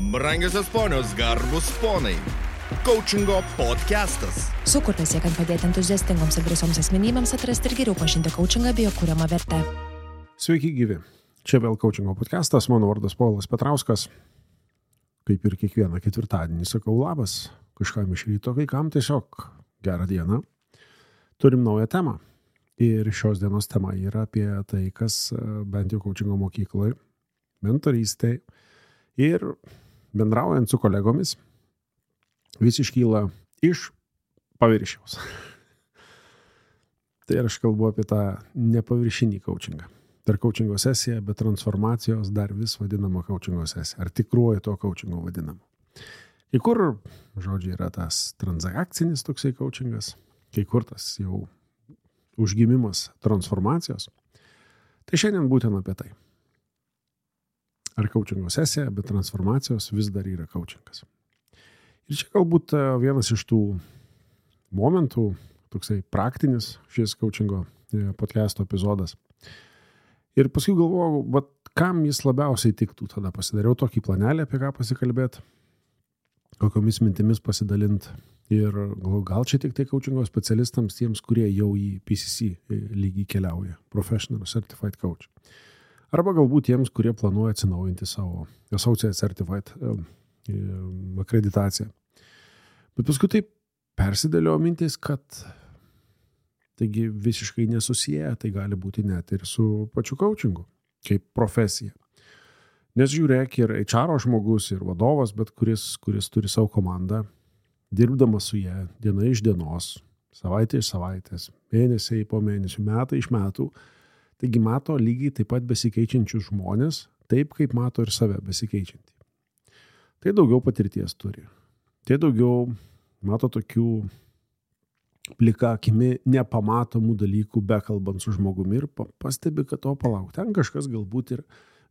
Brangiosios ponios, garbus ponai. Coachingo podcastas. Sukurtas siekiant padėti entuziastingoms ir drąsioms asmenybėms atrasti ir geriau pažinti coachingą bei jo kuriamą vertę. Sveiki gyvi. Čia vėl Coachingo podcastas. Mano vardas Povilas Petrauskas. Kaip ir kiekvieną ketvirtadienį sakau labas. Kažkam iš ryto, kai kam tiesiog gerą dieną. Turim naują temą. Ir šios dienos tema yra apie tai, kas bent jau coachingo mokykloje, mentorystėje ir bendraujant su kolegomis vis iškyla iš paviršiaus. Tai aš kalbu apie tą nepaviršinį coachingą. Per coachingo sesiją, bet transformacijos dar vis vadinama coachingo sesija. Ar tikruoju to coachingo vadinama. Kai kur, žodžiai, yra tas transakcinis toksai coachingas, kai kur tas jau užgimimas transformacijos. Tai šiandien būtent apie tai. Ar coachingo sesija, bet transformacijos vis dar yra coachingas. Ir čia galbūt vienas iš tų momentų, toksai praktinis šis coachingo podcast'o epizodas. Ir paskui galvojau, kam jis labiausiai tiktų. Tada pasidariau tokį planelį, apie ką pasikalbėti, kokiomis mintimis pasidalinti. Ir gal čia tik tai coachingo specialistams, tiems, kurie jau į PCC lygį keliauja, Professional Certified Coach. Arba galbūt tiems, kurie planuoja atsinaujinti savo Associate Certified akreditaciją. Bet paskui taip persidėlio mintis, kad taigi visiškai nesusiję, tai gali būti net ir su pačiu coachingu, kaip profesija. Nes žiūrėk, ir HR žmogus, ir vadovas, bet kuris turi savo komandą, dirbdamas su jie diena iš dienos, savaitė iš savaitės, mėnesiai po mėnesių, metai iš metų, taigi mato lygiai taip pat besikeičiančius žmonės, taip kaip mato ir save besikeičiantį. Tai daugiau patirties turi. Tai daugiau mato tokių plika akimi nepamatomų dalykų, bekalbant su žmogumi ir pastebi, kad to palauk. Ten kažkas galbūt ir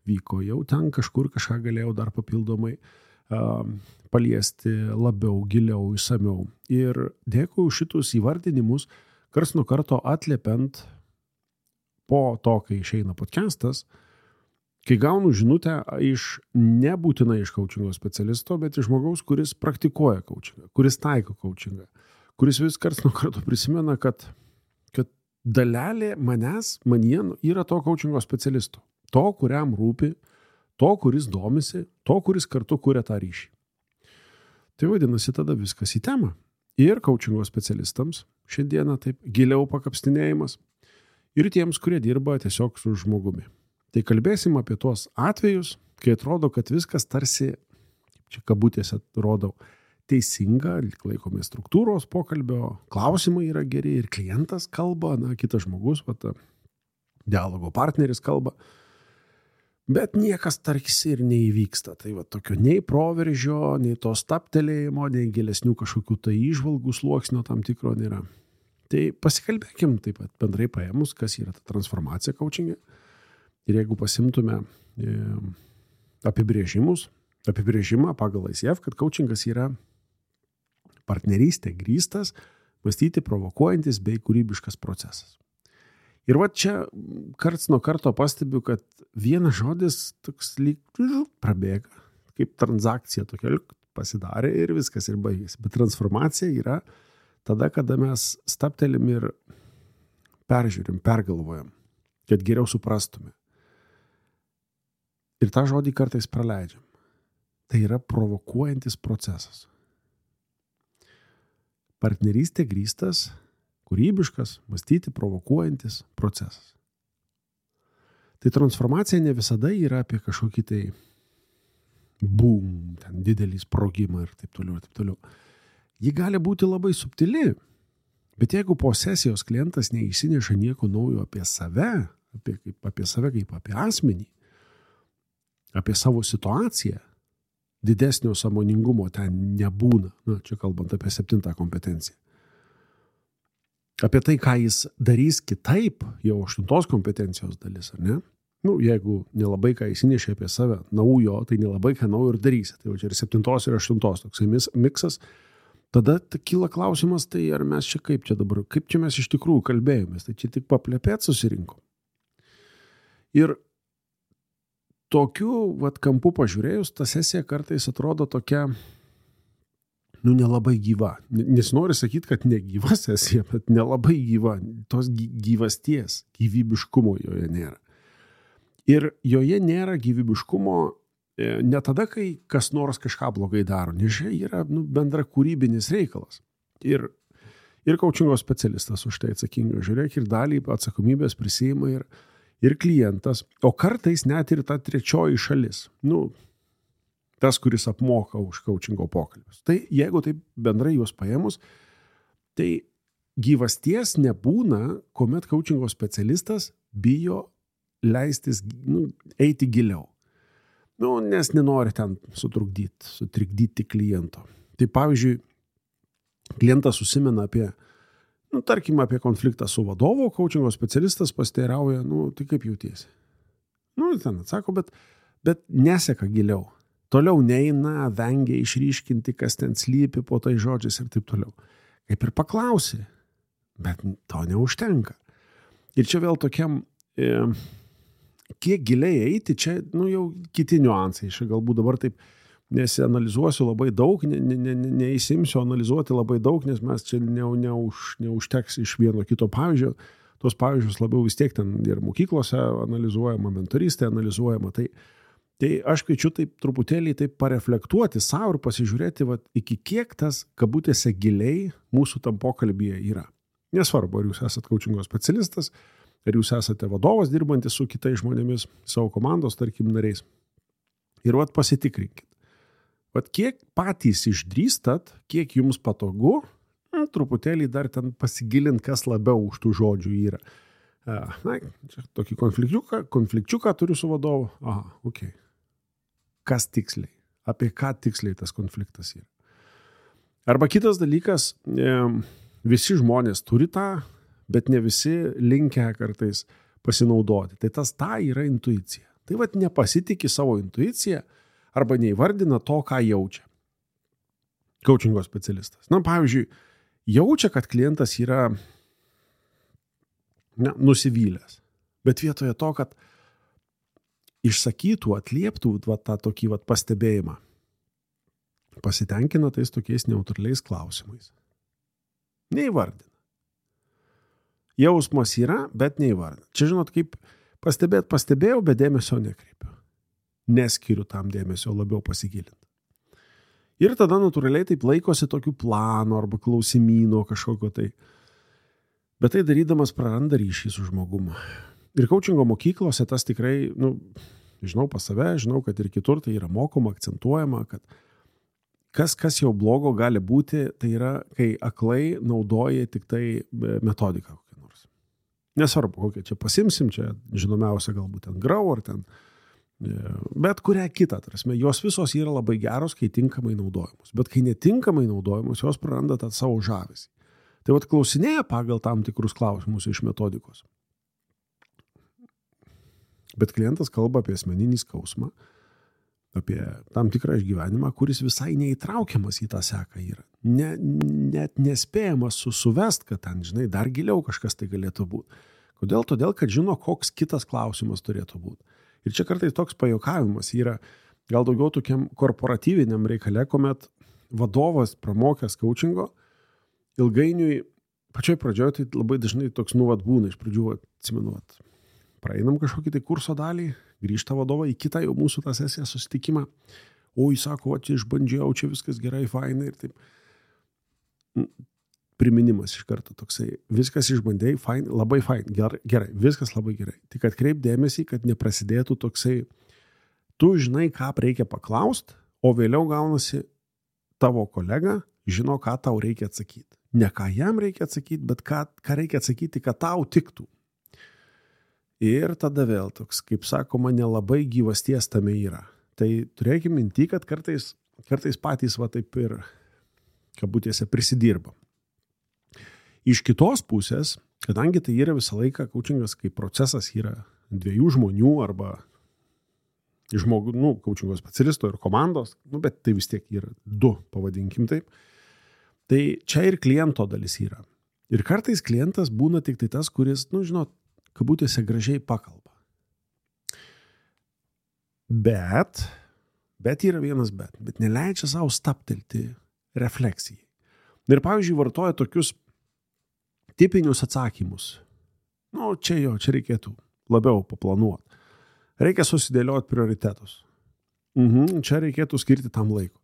vyko, jau ten kažkur kažką galėjau dar papildomai paliesti labiau, giliau, išsamiau. Ir dėkui už šitus įvardinimus, karts nuo karto atliepiant po to, kai išeina podcastas, kai gaunu žinutę nebūtinai iš coachingo specialisto, bet iš žmogaus, kuris praktikuoja coachingą, kuris taiko coachingą, kuris vis karts nuo karto prisimena, kad dalelė manyje yra to coachingo specialisto, to, kuriam rūpi, to, kuris domisi, to, kuris kartu kuria tą ryšį. Tai vadinasi tada viskas į temą. Ir coachingo specialistams šiandieną taip giliau pakapstinėjimas, ir tiems, kurie dirba tiesiog su žmogumi. Tai kalbėsim apie tuos atvejus, kai atrodo, kad viskas tarsi, čia kabutėse rodau, teisinga, laikomės struktūros pokalbio, klausimai yra geri ir klientas kalba, kitas žmogus, dialogo partneris kalba, bet niekas tarsi ir neįvyksta. Tai tokio nei proveržio, nei to staptelėjimo, nei gilesnių kažkokių tai įžvalgų sluoksnio tam tikro nėra. Tai pasikalbėkim taip pat bendrai paėmus, kas yra ta transformacija coachingė. Ir jeigu pasimtume apibrėžimą pagal ICF, kad coachingas yra partnerystė grįstas, mąstyti provokuojantis bei kūrybiškas procesas. Ir čia karts nuo karto pastebiu, kad vienas žodis toks lyg prabėga, kaip transakcija tokia pasidarė ir viskas ir baigėsi. Bet transformacija yra tada, kada mes staptelim ir peržiūrim, pergalvojam, kad geriau suprastume. Ir tą žodį kartais praleidžiam. Tai yra provokuojantis procesas. Partnerystė grįstas, kūrybiškas, mąstyti provokuojantis procesas. Tai transformacija ne visada yra apie kažkokį tai boom, ten didelį sprogimą ir taip toliau, ir taip toliau. Ji gali būti labai subtili, bet jeigu po sesijos klientas neįsineša nieko naujo apie save, apie save kaip apie asmenį, apie savo situaciją, didesnio sąmoningumo ten nebūna, čia kalbant apie 7 kompetenciją. Apie tai, ką jis darys kitaip, jau 8 kompetencijos dalis, ar ne? Jeigu nelabai ką įsinešė apie save naujo, tai nelabai ką naujo ir darysi. Tai čia ir 7 ir 8 toksai miksas. Tada kyla klausimas, tai ar mes čia kaip čia mes iš tikrųjų kalbėjomės, tai čia tik paplepėt susirinkom. Ir tokiu kampu pažiūrėjus, ta sesija kartais atrodo tokia, nelabai gyva. Nesinori sakyti, kad negyva sesija, bet nelabai gyva. Tos gyvasties, gyvybiškumo joje nėra. Ir joje nėra gyvybiškumo ne tada, kai kas nors kažką blogai daro, nes čia yra bendra kūrybinis reikalas. Ir coachingo specialistas už tai atsakingas. Žiūrėk, ir dalį atsakomybės prisiima ir klientas, o kartais net ir ta trečioji šalis. Tas, kuris apmoka už coachingo pokalbius. Tai jeigu taip bendrai juos paėmus, tai gyvasties nebūna, kuomet coachingo specialistas bijo leistis, eiti giliau. Nes nenori ten sutrikdyti kliento. Tai pavyzdžiui, klientas užsimena apie, tarkim, apie konfliktą su vadovu, coachingo specialistas pasiteirauja, tai kaip jautiesi? Ten atsako, bet neseka giliau. Toliau neina, vengia išryškinti, kas ten slypi po tai žodžiais ir taip toliau. Kaip ir paklausi, bet to neužtenka. Ir čia vėl tokiam, kiek giliai eiti, čia jau kiti niuansai. Čia galbūt dabar taip nesianalizuosiu labai daug, neįsimsiu analizuoti labai daug, nes mes čia neužteks iš vieno kito pavyzdžio. Tos pavyzdžius labiau vis tiek ten ir mokyklose analizuojama, mentorystė analizuojama. Tai aš kviečiu taip truputėlį taip pareflektuoti savo ir pasižiūrėti, iki kiek tas kabutėse giliai mūsų tam pokalbyje yra. Nesvarbu, ar jūs esate coachingo specialistas, ar jūs esate vadovas dirbantis su kitais žmonėmis, savo komandos, tarkim, nariais. Ir pasitikrinkit. Kiek patys išdrįstat, kiek jums patogu, truputėlį dar ten pasigilint, kas labiau už tų žodžių yra. Čia tokį konflikčiuką turiu su vadovu. Aha, okei. Kas tiksliai? Apie ką tiksliai tas konfliktas yra? Arba kitas dalykas, visi žmonės turi tą, bet ne visi linkę kartais pasinaudoti. Tai ta yra intuicija. Tai nepasitikė savo intuiciją arba neįvardina to, ką jaučia coachingo specialistas. Pavyzdžiui, jaučia, kad klientas yra nusivylęs, bet vietoje to, kad išsakytų, atlieptų tą tokį pastebėjimą, pasitenkina tais tokiais neutraliais klausimais. Neįvardina. Jausmas yra, bet neįvardina. Čia žinot, kaip pastebėjau, bet dėmesio nekreipiu. Neskiriu tam dėmesio labiau pasigilinti. Ir tada natūraliai taip laikosi tokių planų arba klausimyno kažkokio tai. Bet tai darydamas praranda ryšį su žmogumu. Ir coachingo mokyklose tas tikrai, žinau pas save, žinau, kad ir kitur tai yra mokoma, akcentuojama, kad kas jau blogo gali būti, tai yra, kai aklai naudoja tik tai metodiką kokią nors. Nesvarbu, kokią čia pasimsim, čia žinomiausia galbūt ten Grau ar ten, bet kurią kitą, jos visos yra labai geros, kai tinkamai naudojamos. Bet kai netinkamai naudojamos, jos praranda tą savo žavesį. Tai klausinėja pagal tam tikrus klausimus iš metodikos. Bet klientas kalba apie asmeninį skausmą, apie tam tikrą išgyvenimą, kuris visai neįtraukiamas į tą seką yra. Net nespėjamas suvest, kad ten, dar giliau kažkas tai galėtų būti. Kodėl? Todėl, kad žino, koks kitas klausimas turėtų būti. Ir čia kartais toks pajuokavimas yra gal daugiau tokiam korporatyviniam reikale, kuomet vadovas pramokęs coachingo, ilgainiui, pačioj pradžioje tai labai dažnai toks būna iš pradžių, atsimenu, praeinam kažkokį tai kurso dalį, grįžta vadovą į kitą jau mūsų tą sesiją susitikimą. Jis sako, išbandžiau, čia viskas gerai, fainai ir taip. Priminimas iš karto toksai, viskas išbandėjai, fain, labai fain, gerai, viskas labai gerai. Tik atkreip dėmesį, kad neprasidėtų toksai, tu žinai, ką reikia paklausti, o vėliau gaunasi tavo kolega žino, ką tau reikia atsakyti. Ne ką jam reikia atsakyti, bet ką reikia atsakyti, kad tau tiktų. Ir tada vėl toks, kaip sakoma, nelabai gyvasties tame yra. Tai turėkime minti, kad kartais patys taip ir kabutėse prisidirba. Iš kitos pusės, kadangi tai yra visą laiką coachingas, kaip procesas yra dviejų žmonių arba žmogų, coachingo specialisto ir komandos, bet tai vis tiek yra du, pavadinkim taip. Tai čia ir kliento dalis yra. Ir kartais klientas būna tik tai tas, kuris, kabutėse gražiai pakalba. Bet yra vienas bet neleidžia savo staptelti refleksijai. Ir pavyzdžiui, vartoja tokius tipinius atsakymus. Čia reikėtų labiau paplanuoti. Reikia susidėlioti prioritetus. Čia reikėtų skirti tam laiko.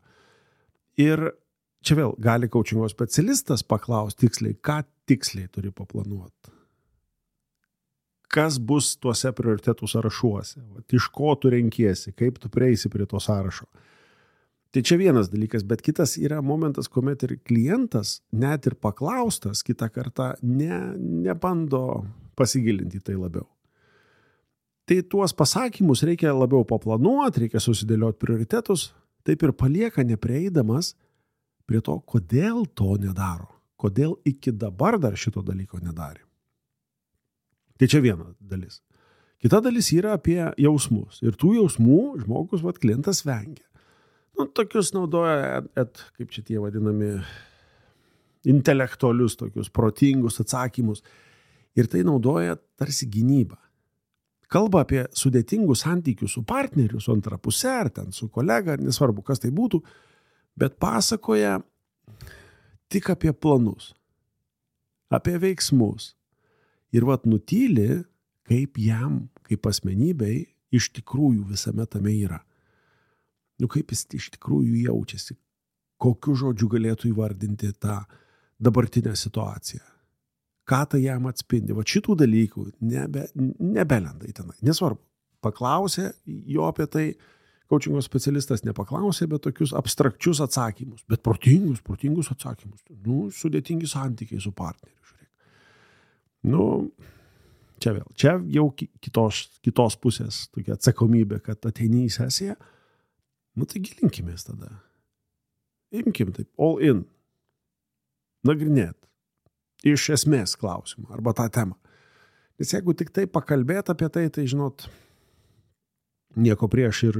Ir čia vėl gali coachingo specialistas paklausti tiksliai, ką tiksliai turi paplanuoti. Kas bus tuose prioritetų sąrašuose, iš ko tu renkiesi, kaip tu prieisi prie to sąrašo. Tai čia vienas dalykas, bet kitas yra momentas, kuomet ir klientas, net ir paklaustas, kitą kartą nebando pasigilinti tai labiau. Tai tuos pasakymus reikia labiau paplanuoti, reikia susidėlioti prioritetus, taip ir palieka neprieidamas prie to, kodėl to nedaro, kodėl iki dabar dar šito dalyko nedarė. Tai čia viena dalis. Kita dalis yra apie jausmus. Ir tų jausmų žmogus, klientas vengia. Tokius naudoja, kaip čia tie vadinami, intelektualius, tokius protingus atsakymus. Ir tai naudoja tarsi gynybą. Kalba apie sudėtingus santykius su partneriu, su antra puse, ar ten su kolega, ar nesvarbu, kas tai būtų, bet pasakoja tik apie planus, apie veiksmus. Ir nutyli, kaip jam, kaip asmenybei, iš tikrųjų visame tame yra. Kaip jis iš tikrųjų jaučiasi, kokiu žodžiu galėtų įvardinti tą dabartinę situaciją. Ką tai jam atspindi. Šitų dalykų nebelenda į tenai. Nesvarbu, paklausė jo apie tai, coachingo specialistas nepaklausė, bet tokius abstrakčius atsakymus, bet protingus atsakymus. Sudėtingi santykiai su partneriu. Čia jau kitos pusės tokia atsakomybė, kad ateini į sesiją, tai gilinkimės tada. Imkim taip, all in. Nagrinėt. Iš esmės klausimą, arba tą temą. Nes jeigu tik tai pakalbėt apie tai, žinot, nieko prieš ir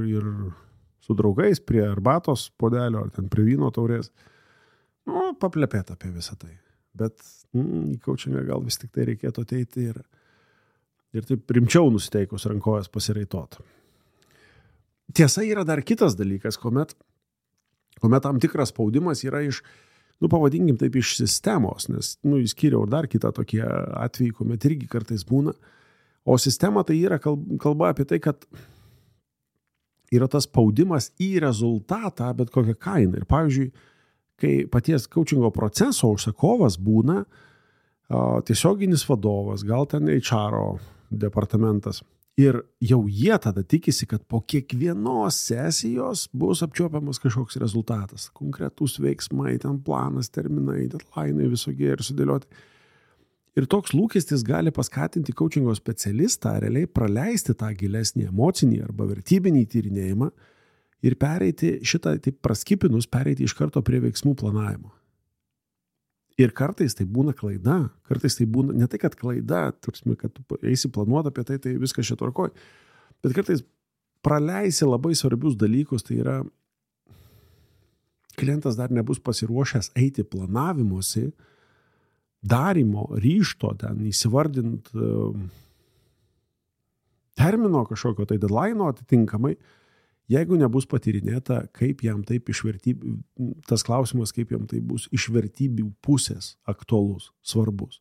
su draugais prie arbatos puodelio, ar ten prie vyno taurės, paplepėt apie visą tai. Bet į coachingą gal vis tik tai reikėtų ateiti ir taip rimčiau nusiteikus rankojas pasiraitot. Tiesa, yra dar kitas dalykas, kuomet tam tikras spaudimas yra iš, pavadinkim taip, iš sistemos, nes, įskyriau dar kitą tokie atvejai, kuomet irgi kartais būna. O sistema tai yra kalba apie tai, kad yra tas spaudimas į rezultatą, bet kokią kainą. Ir pavyzdžiui, kai paties coachingo proceso užsakovas būna tiesioginis vadovas, gal ten HR departamentas. Ir jau jie tada tikisi, kad po kiekvienos sesijos bus apčiuopiamas kažkoks rezultatas. Konkretus veiksmai, ten planas, terminai, deadline'ai visokie ir sudėlioti. Ir toks lūkestis gali paskatinti coachingo specialistą realiai praleisti tą gilesnį emocinį arba vertybinį tyrinėjimą ir pereiti šitą, taip praskipinus, pereiti iš karto prie veiksmų planavimo. Ir kartais tai būna klaida, kartais tai būna, ne tai, kad klaida, tarsi, kad tu eisi planuoti apie tai, tai viskas čia tvarkoj, bet kartais praleisi labai svarbius dalykus, tai yra, klientas dar nebus pasiruošęs eiti planavimuose, darimo, ryžto, ten įsivardint termino kažkokio, tai deadline'o atitinkamai, jeigu nebus patyrinėta, kaip jam taip iš vertybių, tas klausimas, kaip jam tai bus iš vertybių pusės aktualus, svarbus.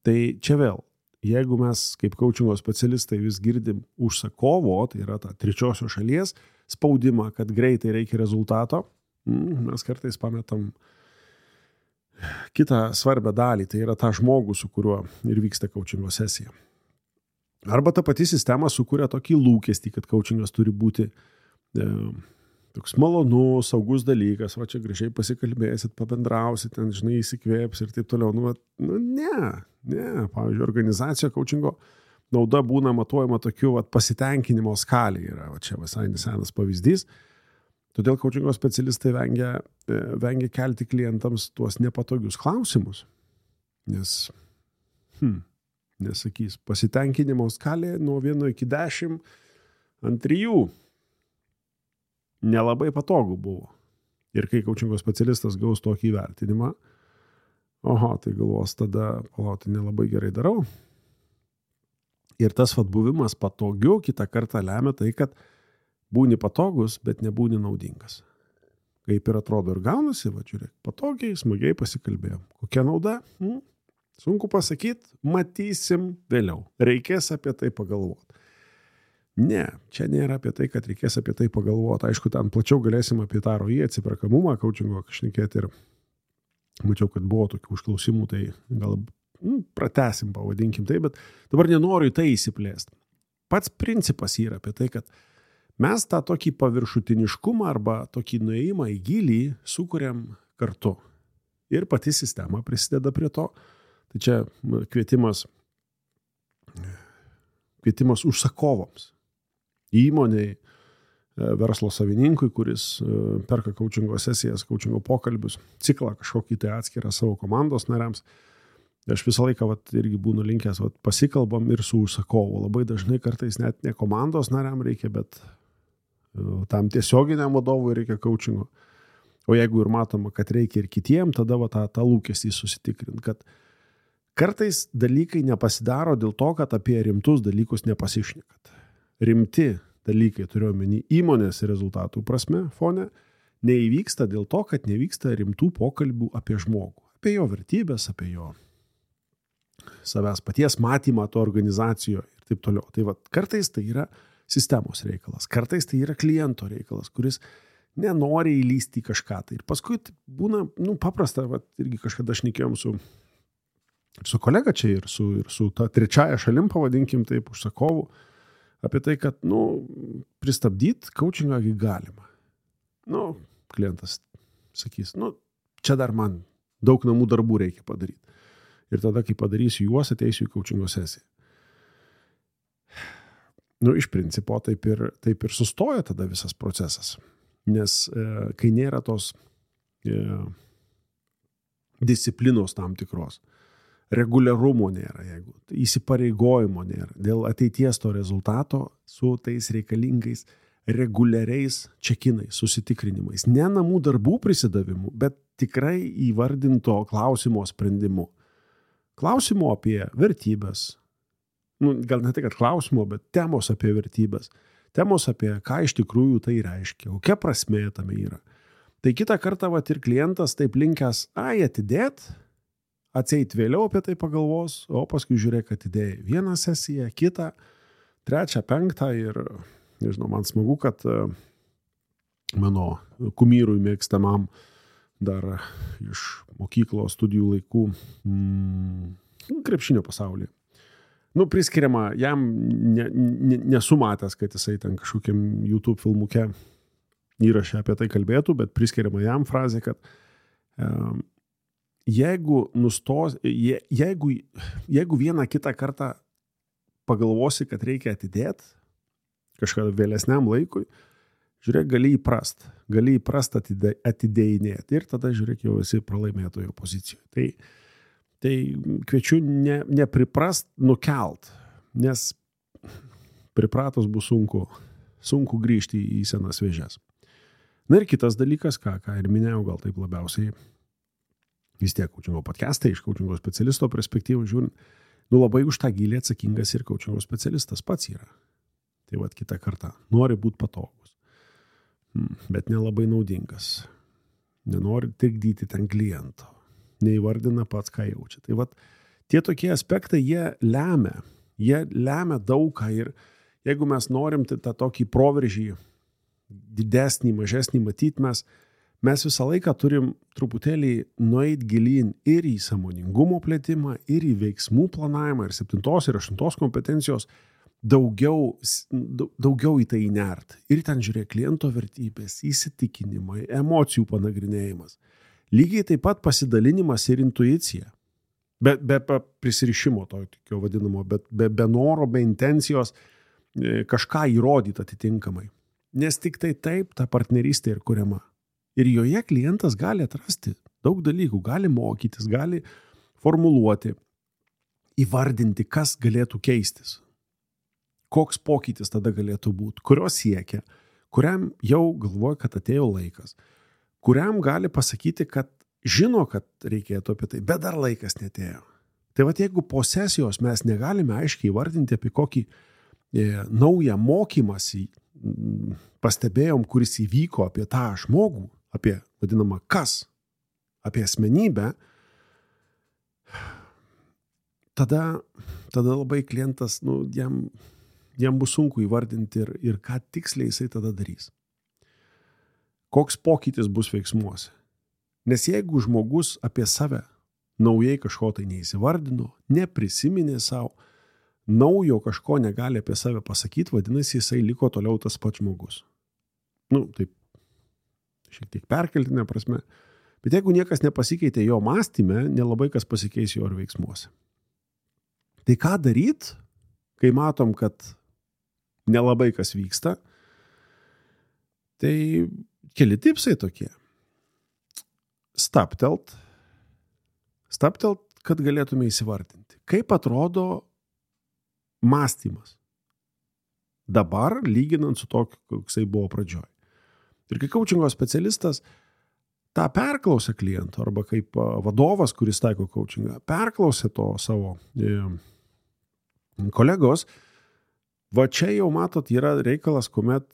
Tai čia vėl, jeigu mes kaip coachingo specialistai vis girdim užsakovo, tai yra ta trečiosios šalies spaudimą, kad greitai reikia rezultato, mes kartais pametam kitą svarbę dalį, tai yra tą žmogų, su kuriuo ir vyksta coachingo sesija. Arba ta pati sistema sukuria tokį lūkestį, kad coachingas turi būti toks malonus, saugus dalykas, čia gražiai pasikalbėsit, pabendrausit, ten, žinai, įsikvėps ir taip toliau. Ne. Pavyzdžiui, organizacija coachingo nauda būna matuojama tokiu pasitenkinimo skalė. Yra čia visai nesenas pavyzdys. Todėl coachingo specialistai vengia kelti klientams tuos nepatogius klausimus. Nesakys, pasitenkinimo skalė nuo 1 iki 10 ant 3 nelabai patogu buvo. Ir kai coachingo specialistas gaus tokį įvertinimą, tai galvos tada, nelabai gerai darau. Ir tas buvimas patogiu kitą kartą lemia tai, kad būni patogus, bet nebūni naudingas. Kaip ir atrodo ir gaunasi, va žiūrėk, patogiai, smagiai pasikalbėjom. Kokia nauda? Sunku pasakyti, matysim vėliau. Reikės apie tai pagalvoti. Ne, čia nėra apie tai, kad reikės apie tai pagalvoti. Aišku, ten plačiau galėsim apie tą ROI, atsiperkamumą, coachingo šnekėti ir mačiau, kad buvo tokių užklausimų, tai gal pratesim, pavadinkim tai, bet dabar nenoriu į tai įsiplėsti. Pats principas yra apie tai, kad mes tą tokį paviršutiniškumą arba tokį nuėjimą į gilį sukuriam kartu. Ir pati sistema prisideda prie to. Tai čia kvietimas užsakovams. Įmoniai, verslo savininkui, kuris perka coachingo sesijas, coachingo pokalbius, ciklą kažkokį tai atskirą savo komandos nariams. Aš visą laiką irgi būnu linkęs, pasikalbam ir su užsakovu. Labai dažnai kartais net ne komandos nariam reikia, bet tam tiesioginiam vadovui reikia coachingo. O jeigu ir matoma, kad reikia ir kitiem, tada tą lūkestį susitikrint, kad kartais dalykai nepasidaro dėl to, kad apie rimtus dalykus nepasišnekat. Rimti dalykai, turiu omeny įmonės rezultatų prasme, fone, neįvyksta dėl to, kad nevyksta rimtų pokalbių apie žmogų. Apie jo vertybės, apie jo savęs paties matymą to organizacijoje ir taip toliau. Tai kartais tai yra sistemos reikalas, kartais tai yra kliento reikalas, kuris nenori įlysti į kažką. Tai ir paskui būna paprasta, irgi kažkada šnekėjom su kolega čia ir su ta trečiaja šalim, pavadinkim taip, užsakovu, apie tai, kad, pristabdyti coachingą galima. Klientas sakys, čia dar man daug namų darbų reikia padaryti. Ir tada, kai padarysiu juos, ateisiu į coachingo sesiją. Iš principo, taip ir sustoja tada visas procesas. Nes kai nėra tos disciplinos tam tikros, reguliarumo nėra, jeigu įsipareigojimo nėra, dėl ateities to rezultato su tais reikalingais reguliariais čekinais, susitikrinimais. Ne namų darbų prisidavimu, bet tikrai įvardinto klausimo sprendimu. Klausimo apie vertybės. Gal ne tai, kad klausimo, bet temos apie vertybės. Temos apie ką iš tikrųjų tai reiškia, kokia prasmė tame yra. Tai kitą kartą ir klientas taip linkęs, atidėt, atseit vėliau apie tai pagalvos, o paskui žiūrėk, atidėjai vieną sesiją, kitą, trečią, penktą ir, nežinau, man smagu, kad mano kumyrui mėgstamam dar iš mokyklos studijų laikų krepšinio pasaulyje. Priskiriama, jam nesu matęs, kad jisai ten kažkokiam YouTube filmuke įrašę apie tai kalbėtų, bet priskiriama jam frazė, kad jeigu vieną kitą kartą pagalvosi, kad reikia atidėti kažką vėlesniam laikui, žiūrėk, gali įprast atidėjinėti ir tada, žiūrėk, jau esi pralaimėtojo pozicijoje. Tai kviečiu nepriprast nukelt, nes pripratus bus sunku grįžti į senas vėžes. Ir kitas dalykas, ką ir minėjau, gal taip labiausiai, vis tiek coachingo podcastai iš coachingo specialisto perspektyvų žiūrint, labai už tą gilį atsakingas ir coachingo specialistas pats yra. Tai kitą kartą nori būti patogus, bet nelabai naudingas. Nenori trikdyti ten kliento. Neįvardina pats, ką jaučia. Tai tie tokie aspektai, jie lemia daug ką ir jeigu mes norim tą tokį proveržį didesnį, mažesnį matyti, mes visą laiką turim truputėlį nueit gilyn ir į sąmoningumo plėtimą, ir į veiksmų planavimą, ir 7 ir 8 kompetencijos daugiau į tai įnert. Ir ten žiūrėk kliento vertybės, įsitikinimai, emocijų panagrinėjimas. Lygiai taip pat pasidalinimas ir intuicija. Be prisirišimo to vadinamo, bet be noro, be intencijos kažką įrodyti atitinkamai. Nes tik tai taip ta partnerystė ir kuriama. Ir joje klientas gali atrasti daug dalykų, gali mokytis, gali formuluoti, įvardinti, kas galėtų keistis. Koks pokytis tada galėtų būti, kurio siekia, kuriam jau galvoja, kad atėjo laikas. Kuriam gali pasakyti, kad žino, kad reikėtų apie tai, bet dar laikas netėjo. Tai jeigu po sesijos mes negalime aiškiai įvardinti apie kokį naują mokymąsi, pastebėjom, kuris įvyko apie tą žmogų, apie vadinamą kas, apie asmenybę, tada labai klientas, jam bus sunku įvardinti ir ką tiksliai jisai tada darys. Koks pokytis bus veiksmuose. Nes jeigu žmogus apie save naujai kažko tai neįsivardino, neprisiminė savo, naujo kažko negali apie save pasakyti, vadinasi, jisai liko toliau tas pats žmogus. Taip, šiek tiek perkeltinė prasme. Bet jeigu niekas nepasikeitė jo mąstyme, nelabai kas pasikeis jo ir veiksmuose. Tai ką daryt, kai matom, kad nelabai kas vyksta? Tai keli tipsai tokie. Staptelt, kad galėtume įsivardinti. Kaip atrodo mąstymas dabar, lyginant su tokiu, koksai buvo pradžioj. Ir kai coachingo specialistas tą perklausė kliento, arba kaip vadovas, kuris taiko coachingą, perklausė to savo kolegos, va čia jau matot, yra reikalas, kuomet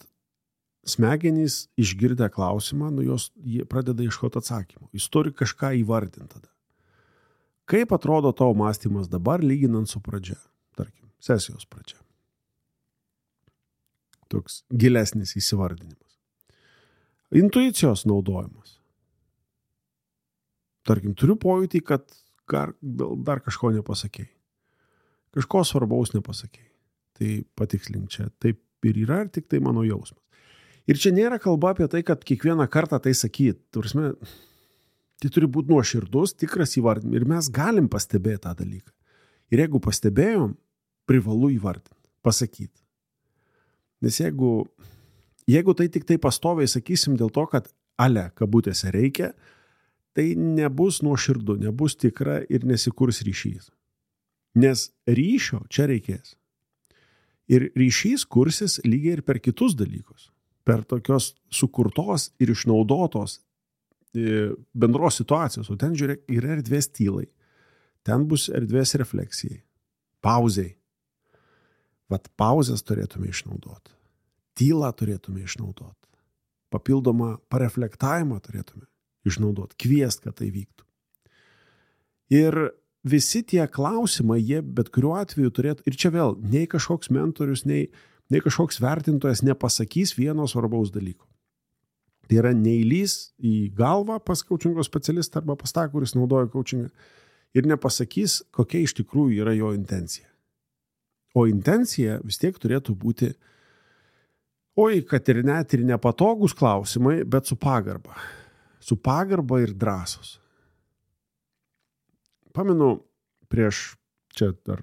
smegenys išgirdę klausimą, jie pradeda ieškoti atsakymų. Jis turi kažką įvardinti tada. Kaip atrodo tavo mąstymas dabar, lyginant su pradžia, tarkim, sesijos pradžia. Toks gilesnis įsivardinimas. Intuicijos naudojimas. Tarkim, turiu pojūtį, kad dar kažko nepasakėjai. Kažko svarbaus nepasakėjai. Tai patikslink čia. Taip ir yra, ir tik tai mano jausmas. Ir čia nėra kalba apie tai, kad kiekvieną kartą tai sakyt. Turime, tai turi būti nuoširdus, tikras įvardinimas. Ir mes galim pastebėti tą dalyką. Ir jeigu pastebėjom, privalu įvardinti, pasakyti. Nes jeigu tai tik tai pastoviai sakysim dėl to, kad kabutėse reikia, tai nebus nuoširdu, nebus tikra ir nesikurs ryšys. Nes ryšio čia reikės. Ir ryšys kursis lygiai ir per kitus dalykus. Per tokios sukurtos ir išnaudotos bendros situacijos. O ten žiūrėk, yra erdvės tylai. Ten bus erdvės refleksijai. Pauzei. Vat pauzės turėtume išnaudoti. Tylą turėtume išnaudoti. Papildomą pareflektavimą turėtume išnaudoti. Kviest, kad tai vyktų. Ir visi tie klausimai, jie bet kuriuo atveju turėtų, ir čia vėl, nei kažkoks mentorius, nei kažkoks vertintojas nepasakys vieno svarbaus dalyko. Tai yra neįlys į galvą pas coachingo specialistą arba pas tą, kuris naudoja coachingą, ir nepasakys, kokia iš tikrųjų yra jo intencija. O intencija vis tiek turėtų būti, kad ir net ir nepatogus klausimai, bet su pagarba. Su pagarba ir drąsos. Pamenu, prieš, čia dar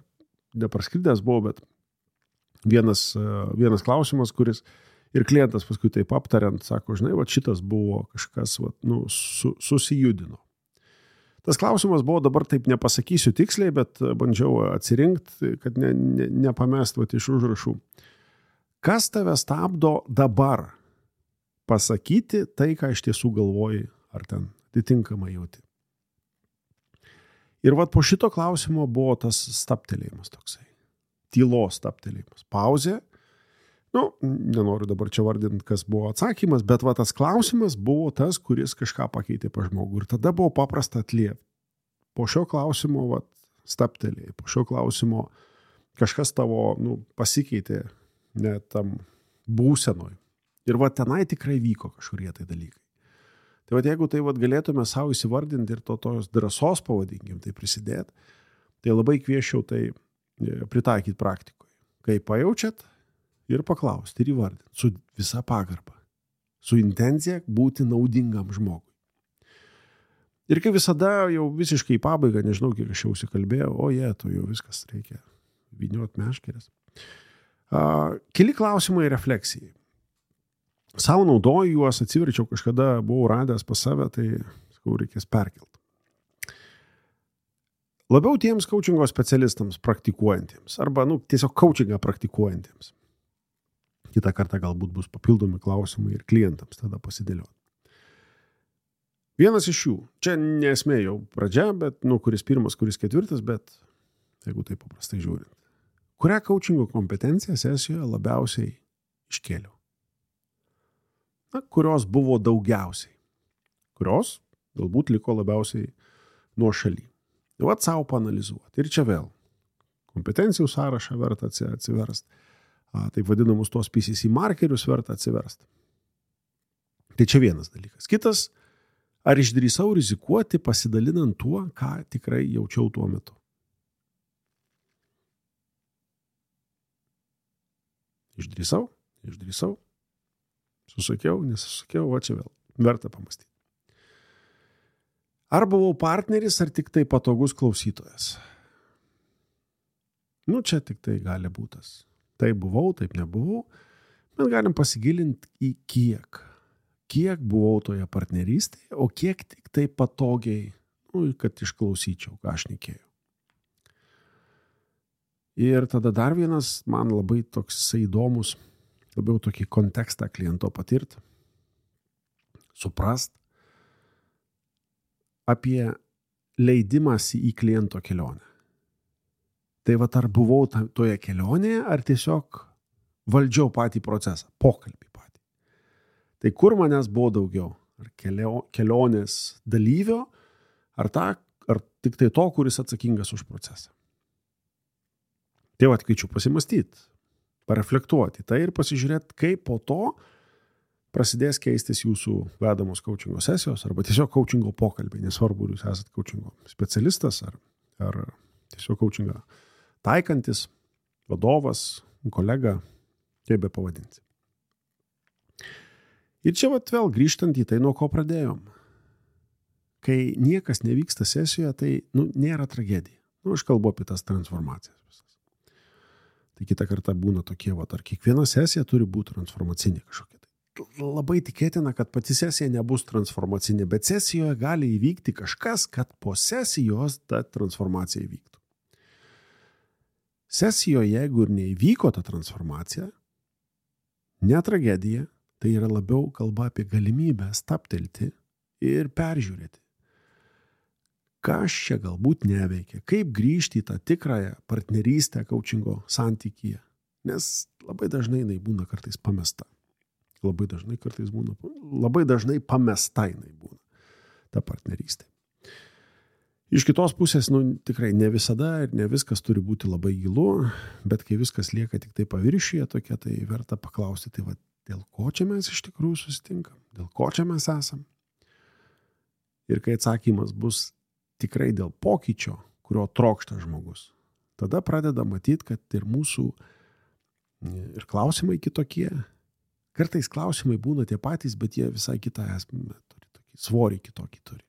nepraskridęs buvo, bet vienas klausimas, kuris ir klientas paskui taip aptariant, sako, žinai, šitas buvo kažkas, susijudino. Tas klausimas buvo, dabar taip nepasakysiu tiksliai, bet bandžiau atsirinkti, kad nepamest iš užrašų. Kas tave stabdo dabar pasakyti tai, ką iš tiesų galvoji, ar ten atitinkamai jauti? Ir po šito klausimo buvo tas staptelėjimas toksai. Tylos staptelėjimas. Pauzė. Nenoriu dabar čia vardinti, kas buvo atsakymas, bet tas klausimas buvo tas, kuris kažką pakeitė pa žmogų. Ir tada buvo paprasta atliepti. Po šio klausimo staptelėjai. Po šio klausimo kažkas tavo pasikeitė net tam būsenoj. Ir tenai tikrai vyko kažkurie tai dalykai. Tai jeigu tai galėtume savo įsivardinti ir tos drąsos pavadinkim, tai prisidėti, tai labai kvieščiau tai pritaikyti praktikoje. Kai pajaučiat ir paklausti ir įvardinti su visa pagarba, su intencija būti naudingam žmogui. Ir kai visada jau visiškai į pabaigą, nežinau, kiek aš jau užsikalbėjau, tu jau viskas reikia vyniot meškeres. Keli klausimai refleksijai. Sau naudoju juos, atsiverčiau kažkada, buvau radęs pas save, tai reikės perkelti. Labiau tiems coachingo specialistams praktikuojantiems, arba tiesiog coachingą praktikuojantiems. Kitą kartą galbūt bus papildomi klausimai ir klientams tada pasidėlioti. Vienas iš jų, čia nesmė jau pradžia, bet kuris pirmas, kuris ketvirtas, bet jeigu tai paprastai žiūrint. Kurią coachingo kompetenciją sesijoje labiausiai iškėliau? kurios buvo daugiausiai, kurios galbūt liko labiausiai nuo šaly. Vat savo paanalizuoti. Ir čia vėl kompetencijų sąrašą verta atsiversti. Taip vadinamus tos PCC markerius verta atsiversti. Tai čia vienas dalykas. Kitas, ar išdrįsau rizikuoti pasidalinant tuo, ką tikrai jaučiau tuo metu. Išdrįsau. Susakiau, nesusakiau, va čia vėl. Verta pamastyti. Ar buvau partneris, ar tik tai patogus klausytojas? Čia tik tai gali būtas. Taip buvau, taip nebuvau. Bet galim pasigilinti į kiek. Kiek buvau toje partnerystėje, o kiek tik tai patogiai, kad išklausyčiau, ką aš šnekėjau. Ir tada dar vienas, man labai toks įdomus, labiau tokį kontekstą kliento patirti, suprast apie leidimąsi į kliento kelionę. Tai vat ar buvau toje kelionėje, ar tiesiog valdžiau patį procesą, pokalbį patį. Tai kur manęs buvo daugiau? Ar kelionės dalyvio, ar tik tai to, kuris atsakingas už procesą? Tai vat kviečiu pasimastyti, pareflektuoti tai ir pasižiūrėti, kaip po to prasidės keistis jūsų vedamos coachingo sesijos arba tiesiog coachingo pokalbiai, nesvarbu, jūs esate coachingo specialistas ar tiesiog coachingą taikantis, vadovas, kolega, kaip be pavadinti. Ir čia vat vėl grįžtant į tai, nuo ko pradėjom. Kai niekas nevyksta sesijoje, tai nėra tragedija. Aš kalbu apie tas transformacijas visas. Tai kitą kartą būna tokie, ar kiekviena sesija turi būti transformacinė kažkokia. Labai tikėtina, kad pati sesija nebus transformacinė, bet sesijoje gali įvykti kažkas, kad po sesijos ta transformacija įvyktų. Sesijoje, jeigu ir neįvyko ta transformacija, ne tragedija, tai yra labiau kalba apie galimybę stabtelti ir peržiūrėti. Kas čia galbūt neveikia, kaip grįžti į tą tikrąją partnerystę coachingo santykyje, nes labai dažnai jinai būna kartais pamesta. Labai dažnai pamesta jinai būna ta partnerystė. Iš kitos pusės, tikrai ne visada ir ne viskas turi būti labai gilu, bet kai viskas lieka tik tai paviršiuje tokia, tai verta paklausti, tai dėl ko čia mes iš tikrųjų susitinkam, dėl ko čia mes esam. Ir kai atsakymas bus tikrai dėl pokyčio, kurio trokšta žmogus, tada pradeda matyti, kad ir mūsų ir klausimai kitokie. Kartais klausimai būna tie patys, bet jie visai kitą esmę turi, tokį svorį kitokį turi.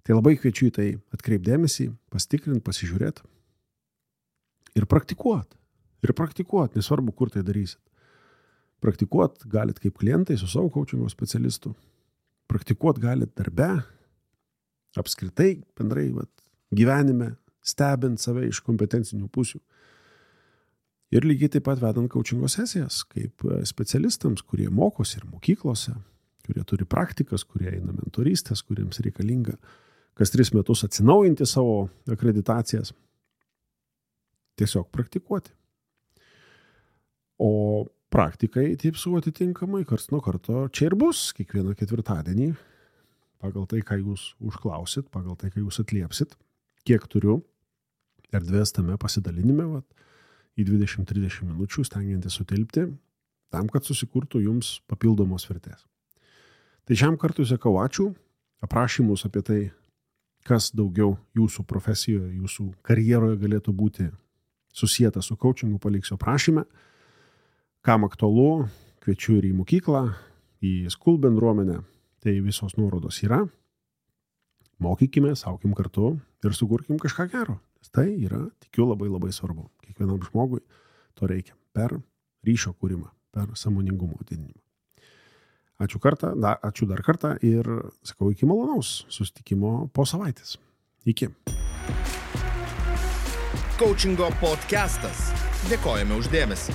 Tai labai kviečiu į tai atkreipdėmėsi, pasitikrinti, pasižiūrėti ir praktikuoti. Nesvarbu, kur tai darysit. Praktikuoti galit kaip klientai su savo coachingo specialistu. Praktikuoti galit darbe, apskritai, bendrai gyvenime, stebint save iš kompetencinių pusių. Ir lygiai taip pat vedant coachingo sesijas, kaip specialistams, kurie mokosi ir mokyklose, kurie turi praktikas, kurie eina mentorystės, kuriems reikalinga kas 3 metus atsinaujinti savo akreditacijas. Tiesiog praktikuoti. O praktikai taip su atitinkamai karts nuo karto čia ir bus kiekvieną ketvirtadienį, pagal tai, ką jūs užklausit, pagal tai, ką jūs atliepsit, kiek turiu erdvės tame pasidalinime, į 20-30 minučių stengiantis sutilpti, tam, kad susikurtų jums papildomos vertės. Tai šiam kartui sakau ačiū, aprašymus apie tai, kas daugiau jūsų profesijoje, jūsų karjeroje galėtų būti susijęta su coachingu, paliksiu aprašyme. Kam aktualu, kviečiu ir į mokyklą, į School bendruomenę, tai visos nuorodos yra. Mokykime, aukim kartu ir sukurkim kažką gero. Tai yra, tikiu, labai labai svarbu. Kiekvienam žmogui to reikia per ryšio kūrimą, per sąmoningumo didinimą. Ačiū dar kartą ir sakau iki malonaus susitikimo po savaitės. Iki. Coachingo podcastas. Dėkojame už dėmesį.